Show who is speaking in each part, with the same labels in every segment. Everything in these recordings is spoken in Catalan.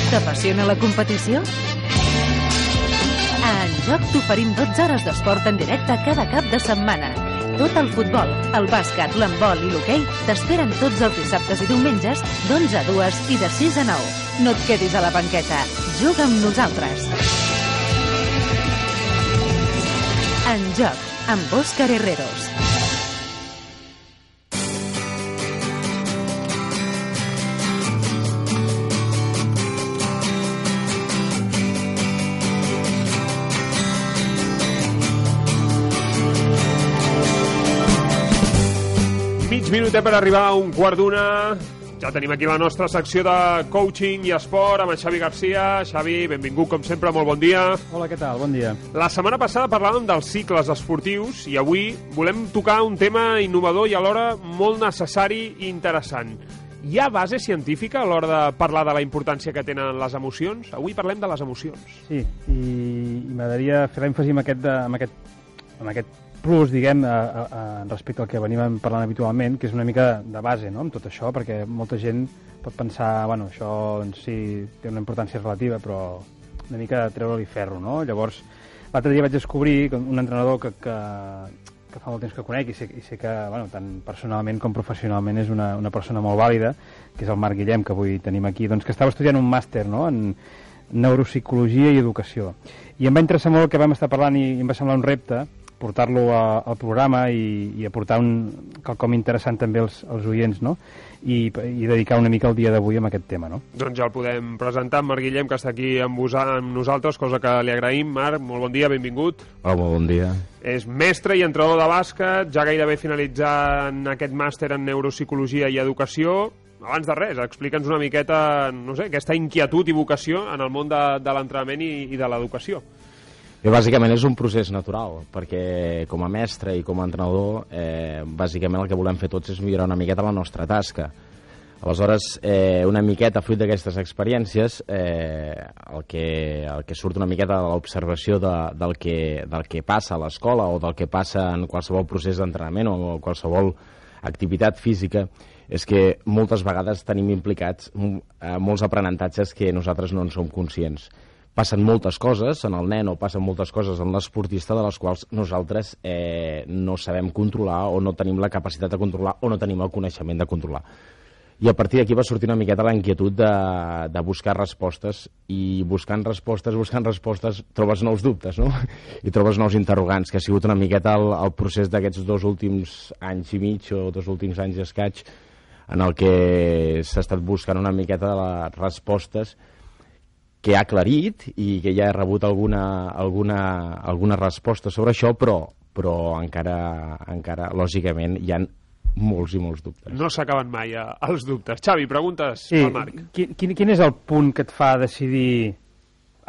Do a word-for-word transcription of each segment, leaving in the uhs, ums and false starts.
Speaker 1: T'apassiona la competició? A En Joc t'oferim dotze hores d'esport en directe cada cap de setmana. Tot el futbol, el bàsquet, l'handbol i l'hoquei t'esperen tots els dissabtes i diumenges d'onze a dues i de sis a nou. No et quedis a la banqueta. Juga amb nosaltres. En Joc, amb Òscar Herreros.
Speaker 2: Mig minutet per arribar a un quart d'una. Ja tenim aquí la nostra secció de coaching i esport amb en Xavi Garcia. Xavi, benvingut com sempre, molt bon dia.
Speaker 3: Hola, què tal? Bon dia.
Speaker 2: La setmana passada parlàvem dels cicles esportius i avui volem tocar un tema innovador i alhora molt necessari i interessant. Hi ha base científica a l'hora de parlar de la importància que tenen les emocions? Avui parlem de les emocions.
Speaker 3: Sí, i, i m'agradaria fer l'èmfasi amb aquest, de, amb aquest, amb aquest plus, diguem, a, a, a, respecte al que venim parlant habitualment, que és una mica de base, no?, amb tot això, perquè molta gent pot pensar, bueno, això doncs, sí, té una importància relativa, però una mica treure-li ferro, no? Llavors, l'altre dia vaig descobrir un entrenador que, que, que fa molt temps que conec i sé, i sé que, bueno, tant personalment com professionalment és una, una persona molt vàlida, que és el Marc Guillem, que avui tenim aquí, doncs que estava estudiant un màster, no?, en neuropsicologia i educació. I em va interessar molt el que vam estar parlant i, i em va semblar un repte portar-lo al programa i, i aportar un quelcom interessant també als, als oients, no? I, i dedicar una mica el dia d'avui amb aquest tema, no?
Speaker 2: Doncs ja el podem presentar amb Marc Guillem, que està aquí amb, vos, amb nosaltres, cosa que li agraïm. Marc, molt bon dia, benvingut.
Speaker 4: Hola, molt bon dia.
Speaker 2: És mestre i entrenador de bàsquet, ja gairebé finalitzant aquest màster en neuropsicologia i educació. Abans de res, explica'ns una miqueta, no sé, aquesta inquietud i vocació en el món de, de l'entrenament i, i de l'educació.
Speaker 4: Bé, bàsicament és un procés natural, perquè com a mestre i com a entrenador, eh, bàsicament el que volem fer tots és millorar una miqueta la nostra tasca. Aleshores, eh, una miqueta, fruit d'aquestes experiències, eh, el, que, el que surt una miqueta de l'observació de, del, que, del que passa a l'escola o del que passa en qualsevol procés d'entrenament o qualsevol activitat física, és que moltes vegades tenim implicats eh, molts aprenentatges que nosaltres no en som conscients. Passen moltes coses en el nen o passen moltes coses en l'esportista de les quals nosaltres eh, no sabem controlar o no tenim la capacitat de controlar o no tenim el coneixement de controlar. I a partir d'aquí va sortir una miqueta la inquietud de, de buscar respostes i buscant respostes, buscant respostes trobes nous dubtes, no? I trobes nous interrogants, que ha sigut una miqueta el, el procés d'aquests dos últims anys i mig o dos últims anys i escaig en el que s'ha estat buscant una miqueta de les respostes que ha aclarit i que ja he rebut alguna, alguna, alguna resposta sobre això, però, però encara, encara, lògicament, hi ha molts i molts dubtes.
Speaker 2: No s'acaben mai eh, els dubtes. Xavi, preguntes
Speaker 3: sí,
Speaker 2: al Marc.
Speaker 3: Quin, quin és el punt que et fa decidir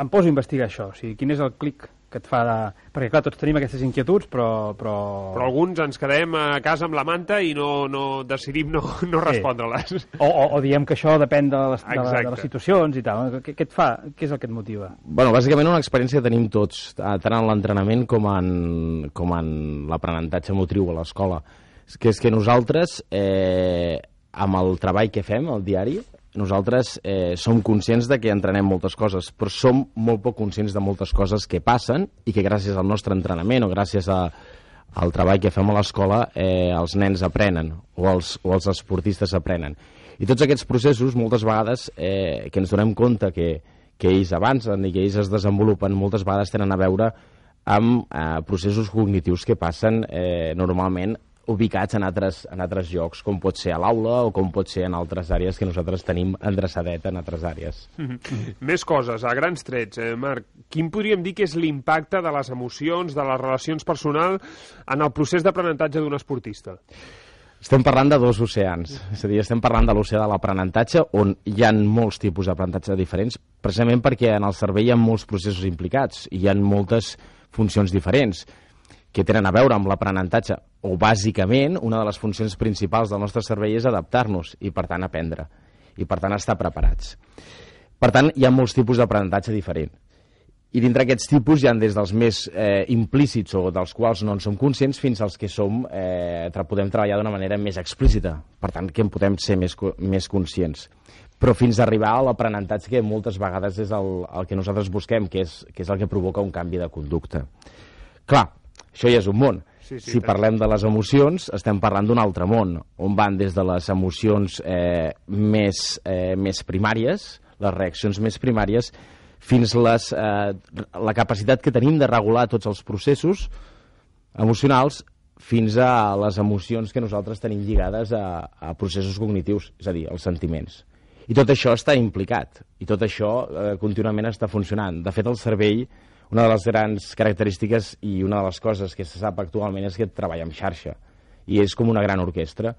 Speaker 3: em poso a investigar això? O sigui, quin és el clic que et fa de... Perquè, clar, tots tenim aquestes inquietuds, però... Però,
Speaker 2: però alguns ens quedem a casa amb la manta i no, no decidim no, no respondre-les.
Speaker 3: O, o, o diem que això depèn de les, de, de les situacions i tal. Què, què et fa? Què és el que et motiva?
Speaker 4: Bueno, bàsicament una experiència que tenim tots, tant en l'entrenament com en, com en l'aprenentatge motriu a l'escola. Que és que nosaltres, eh, amb el treball que fem, el diari, nosaltres eh, som conscients de que entrenem moltes coses, però som molt poc conscients de moltes coses que passen i que gràcies al nostre entrenament o gràcies a, al treball que fem a l'escola eh, els nens aprenen o els, o els esportistes aprenen. I tots aquests processos, moltes vegades, eh, que ens donem compte que, que ells avancen i que ells es desenvolupen, moltes vegades tenen a veure amb eh, processos cognitius que passen eh, normalment ubicats en altres, en altres llocs, com pot ser a l'aula o com pot ser en altres àrees que nosaltres tenim endreçadet en altres àrees.
Speaker 2: Mm-hmm. Més coses, a grans trets, eh, Marc. Quin podríem dir que és l'impacte de les emocions, de les relacions personals en el procés d'aprenentatge d'un esportista?
Speaker 4: Estem parlant de dos oceans, és a dir, estem parlant de l'oceà de l'aprenentatge, on hi ha molts tipus d'aprenentatge diferents, precisament perquè en el cervell hi ha molts processos implicats i hi ha moltes funcions diferents que tenen a veure amb l'aprenentatge, o bàsicament una de les funcions principals del nostre cervell és adaptar-nos i per tant aprendre, i per tant estar preparats. Per tant, hi ha molts tipus d'aprenentatge diferent. I dintre aquests tipus hi ha des dels més eh, implícits o dels quals no en som conscients fins als que som, eh, podem treballar d'una manera més explícita, per tant que en podem ser més, més conscients. però fins a arribar a l'aprenentatge que moltes vegades és el, el que nosaltres busquem, que és, que és el que provoca un canvi de conducta. Clar, això ja és un món. Sí, sí, si parlem de les emocions, estem parlant d'un altre món, on van des de les emocions eh, més, eh, més primàries, les reaccions més primàries, fins les, eh, la capacitat que tenim de regular tots els processos emocionals, fins a les emocions que nosaltres tenim lligades a, a processos cognitius, és a dir, els sentiments. I tot això està implicat, i tot això eh, contínuament està funcionant. De fet, el cervell, una de les grans característiques i una de les coses que se sap actualment és que treballa en xarxa, i és com una gran orquestra.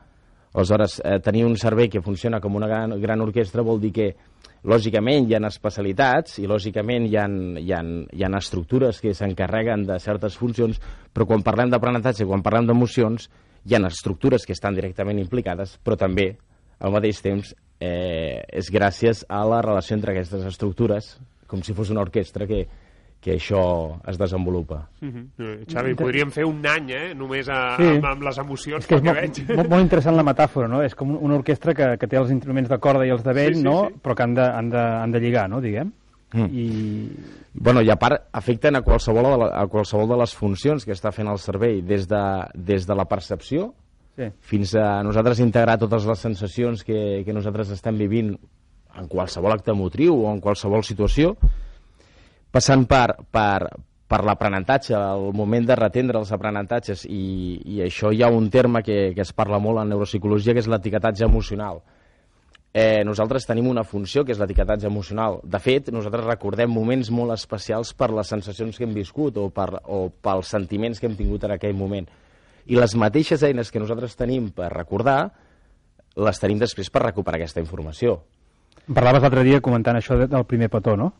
Speaker 4: Aleshores, eh, tenir un cervell que funciona com una gran, gran orquestra vol dir que, lògicament, hi ha especialitats i, lògicament, hi ha, hi ha, hi ha estructures que s'encarreguen de certes funcions, però quan parlem d'aprenentatge, quan parlem d'emocions, hi ha estructures que estan directament implicades, però també, al mateix temps, eh, és gràcies a la relació entre aquestes estructures, com si fos una orquestra que, que això es desenvolupa.
Speaker 2: Uh-huh. Xavi, podríem fer un any, eh?, només a, sí. amb, amb les emocions,
Speaker 3: és que
Speaker 2: pel que
Speaker 3: veig.
Speaker 2: veig.
Speaker 3: Molt, molt interessant la metàfora, no? És com una orquestra que, que té els instruments de corda i els de vent, sí, sí, no? Sí. Però que han de, han de, han de lligar, no?, diguem. Mm. I...
Speaker 4: Bueno, i a part, afecten a qualsevol de, la, a qualsevol de les funcions que està fent el cervell, des de, des de la percepció sí. fins a nosaltres integrar totes les sensacions que, que nosaltres estem vivint en qualsevol acte motriu o en qualsevol situació, passant per, per, per l'aprenentatge, el moment de retendre els aprenentatges, i, i això hi ha un terme que, que es parla molt en neuropsicologia, que és l'etiquetatge emocional. Eh, nosaltres tenim una funció, que és l'etiquetatge emocional. De fet, nosaltres recordem moments molt especials per les sensacions que hem viscut o, per, o pels sentiments que hem tingut en aquell moment. I les mateixes eines que nosaltres tenim per recordar, les tenim després per recuperar aquesta informació.
Speaker 3: Parlaves l'altre dia comentant això del primer petó, no?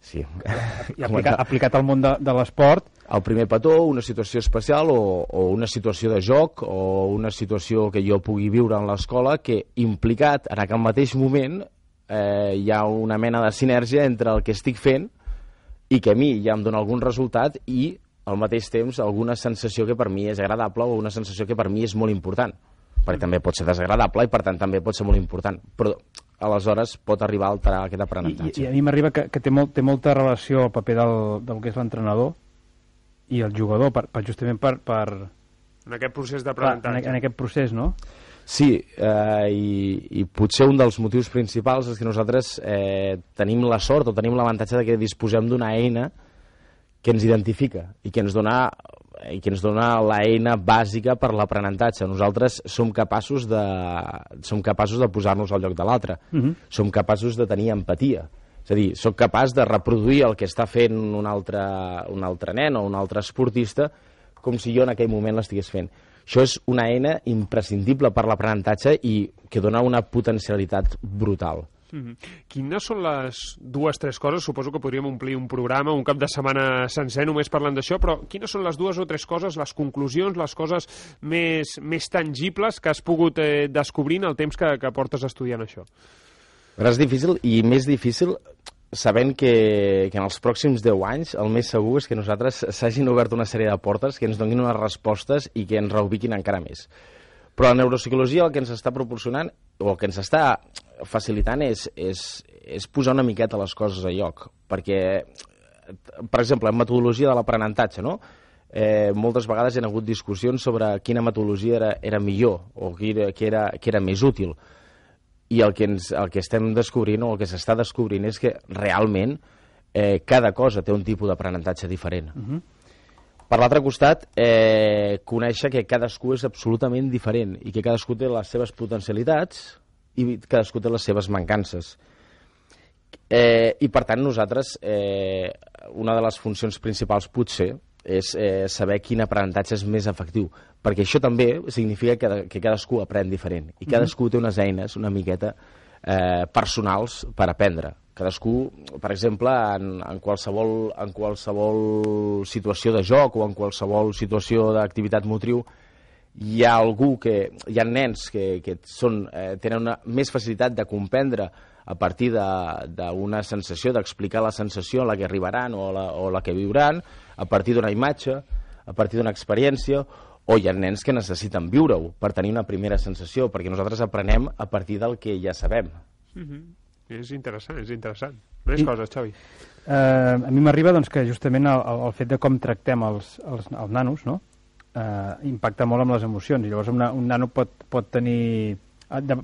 Speaker 4: Sí.
Speaker 3: I aplicat, aplicat al món de, de l'esport.
Speaker 4: El primer petó, una situació especial o, o una situació de joc o una situació que jo pugui viure en l'escola que implicat en aquell mateix moment eh, hi ha una mena de sinergia entre el que estic fent i que a mi ja em dona algun resultat i al mateix temps alguna sensació que per mi és agradable o una sensació que per mi és molt important. Perquè també pot ser desagradable i per tant també pot ser molt important. Però aleshores pot arribar a alterar aquest aprenentatge.
Speaker 3: I, i a mi m'arriba que, que té, molt, té molta relació el paper del, del que és l'entrenador i el jugador, per, per justament per, per...
Speaker 2: En aquest procés d'aprenentatge.
Speaker 3: En, en aquest procés, no?
Speaker 4: Sí, eh, i, i potser un dels motius principals és que nosaltres eh, tenim la sort o tenim l'avantatge de que disposem d'una eina que ens identifica i que ens dona i que ens dona l'eina bàsica per l'aprenentatge. Nosaltres som capaços de, som capaços de posar-nos al lloc de l'altre. Uh-huh. Som capaços de tenir empatia. És a dir, soc capaç de reproduir el que està fent un altre, un altre nen o un altre esportista com si jo en aquell moment l'estigués fent. Això és una eina imprescindible per l'aprenentatge i que dona una potencialitat brutal.
Speaker 2: Mm-hmm. Quines són les dues, tres coses, suposo que podríem omplir un programa, un cap de setmana sencer només parlant d'això, però quines són les dues o tres coses, les conclusions, les coses més, més tangibles que has pogut eh, descobrir en el temps que, que portes estudiant això?
Speaker 4: Però és difícil, i més difícil sabent que, que en els pròxims deu anys el més segur és que nosaltres s'hagin obert una sèrie de portes que ens donin unes respostes i que ens reubiquin encara més. Però la neuropsicologia el que ens està proporcionant o el que ens està facilitant és, és, és posar una miqueta les coses a lloc, perquè, per exemple, en metodologia de l'aprenentatge, no? Eh, moltes vegades hi ha hagut discussions sobre quina metodologia era, era millor o que era, que, era, que era més útil, i el que, ens, el que estem descobrint o el que s'està descobrint és que realment eh, cada cosa té un tipus d'aprenentatge diferent. Uh-huh. Per l'altre costat, eh, conèixer que cadascú és absolutament diferent i que cadascú té les seves potencialitats i cadascú té les seves mancances. Eh, I, per tant, nosaltres, eh, una de les funcions principals potser és eh, saber quin aprenentatge és més efectiu, perquè això també significa que, que cadascú aprèn diferent i cadascú té unes eines una miqueta eh, personals per aprendre. Cadascú, per exemple, en, en, qualsevol, en qualsevol situació de joc o en qualsevol situació d'activitat motriu, hi ha algú que, hi ha nens que, que són, eh, tenen una més facilitat de comprendre a partir d'una sensació, d'explicar la sensació a la que arribaran o la, o la que viuran, a partir d'una imatge, a partir d'una experiència, o hi ha nens que necessiten viure-ho per tenir una primera sensació, perquè nosaltres aprenem a partir del que ja sabem.
Speaker 2: Mm-hmm. És interessant, és interessant. Més I, coses, Xavi.
Speaker 3: Eh, a mi m'arriba doncs, que justament el, el fet de com tractem els, els, els nanos, no? eh, impacta molt amb les emocions, i llavors una, un nano pot, pot tenir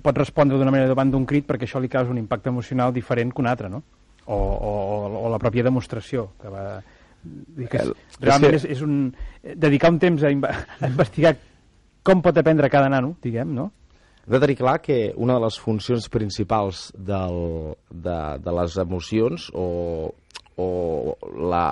Speaker 3: pot respondre d'una manera davant d'un crit perquè això li causa un impacte emocional diferent que un altre, no? O, o, o la pròpia demostració que va... Que és, realment és, és un... dedicar un temps a, a investigar com pot aprendre cada nano, diguem, no?
Speaker 4: Hem de tenir clar que una de les funcions principals del, de, de les emocions o, o la,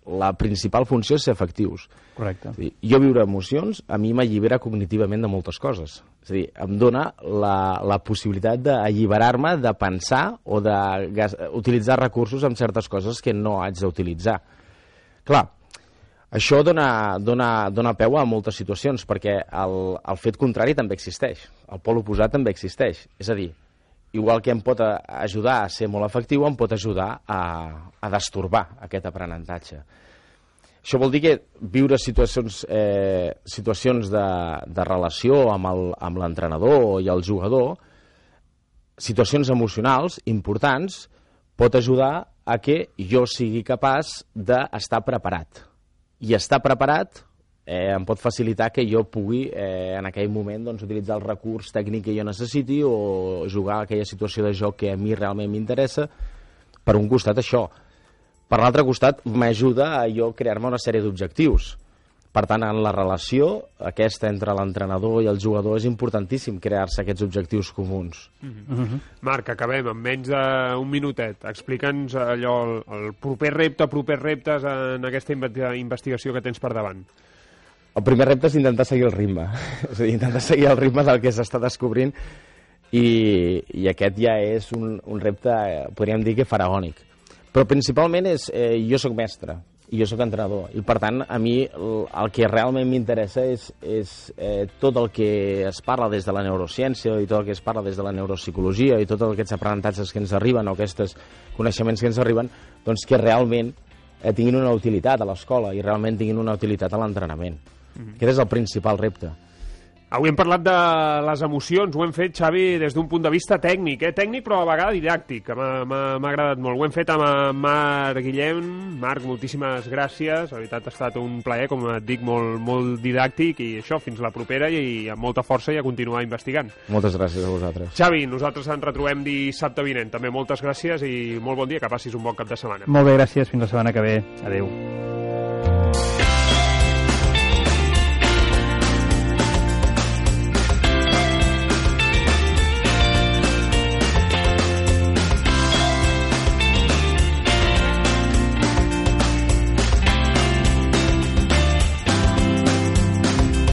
Speaker 4: la principal funció és ser efectius.
Speaker 3: Correcte.
Speaker 4: És a dir, jo viure emocions a mi m'allibera cognitivament de moltes coses. És a dir, em dona la, la possibilitat d'alliberar-me de pensar o d'utilitzar recursos en certes coses que no haig d'utilitzar. Clar, això dona, dona, dona peu a moltes situacions, perquè el, el fet contrari també existeix, el pol oposat també existeix. És a dir, igual que em pot ajudar a ser molt efectiu, em pot ajudar a, a destorbar aquest aprenentatge. Això vol dir que viure situacions, eh, situacions de, de relació amb l'entrenador i el jugador, situacions emocionals importants, pot ajudar a que jo sigui capaç d'estar preparat. I estar preparat eh, em pot facilitar que jo pugui eh, en aquell moment doncs, utilitzar el recurs tècnic que jo necessiti o jugar a aquella situació de joc que a mi realment m'interessa. Per un costat això. Per l'altre costat m'ajuda a jo crear-me una sèrie d'objectius. Per tant, en la relació aquesta entre l'entrenador i el jugador és importantíssim crear-se aquests objectius comuns.
Speaker 2: Mm-hmm. Mm-hmm. Marc, acabem amb menys d'un minutet. Explica'ns allò, el, el proper repte, propers reptes en aquesta investigació que tens per davant.
Speaker 4: El primer repte és intentar seguir el ritme. És a dir, intentar seguir el ritme del que s'està descobrint i, i aquest ja és un, un repte, podríem dir que faraònic. Però principalment és, eh, jo sóc mestre, i jo sóc entrenador, i per tant a mi el, el que realment m'interessa és, és eh, tot el que es parla des de la neurociència i tot el que es parla des de la neuropsicologia i tots aquests aprenentatges que ens arriben o aquests coneixements que ens arriben, doncs que realment eh, tinguin una utilitat a l'escola i realment tinguin una utilitat a l'entrenament. Mm-hmm. Aquest és el principal repte.
Speaker 2: Avui hem parlat de les emocions, ho hem fet, Xavi, des d'un punt de vista tècnic, eh? tècnic però a vegades didàctic, que m'ha agradat molt. Ho hem fet amb Marc Guillem. Marc, moltíssimes gràcies, la veritat ha estat un plaer, com et dic, molt, molt didàctic, i això, fins la propera i amb molta força i a continuar investigant.
Speaker 4: Moltes gràcies a vosaltres.
Speaker 2: Xavi, nosaltres ens retrobem dissabte vinent, també moltes gràcies i molt bon dia, que passis un bon cap de setmana.
Speaker 3: Molt bé, gràcies, fins la setmana que ve. Adéu.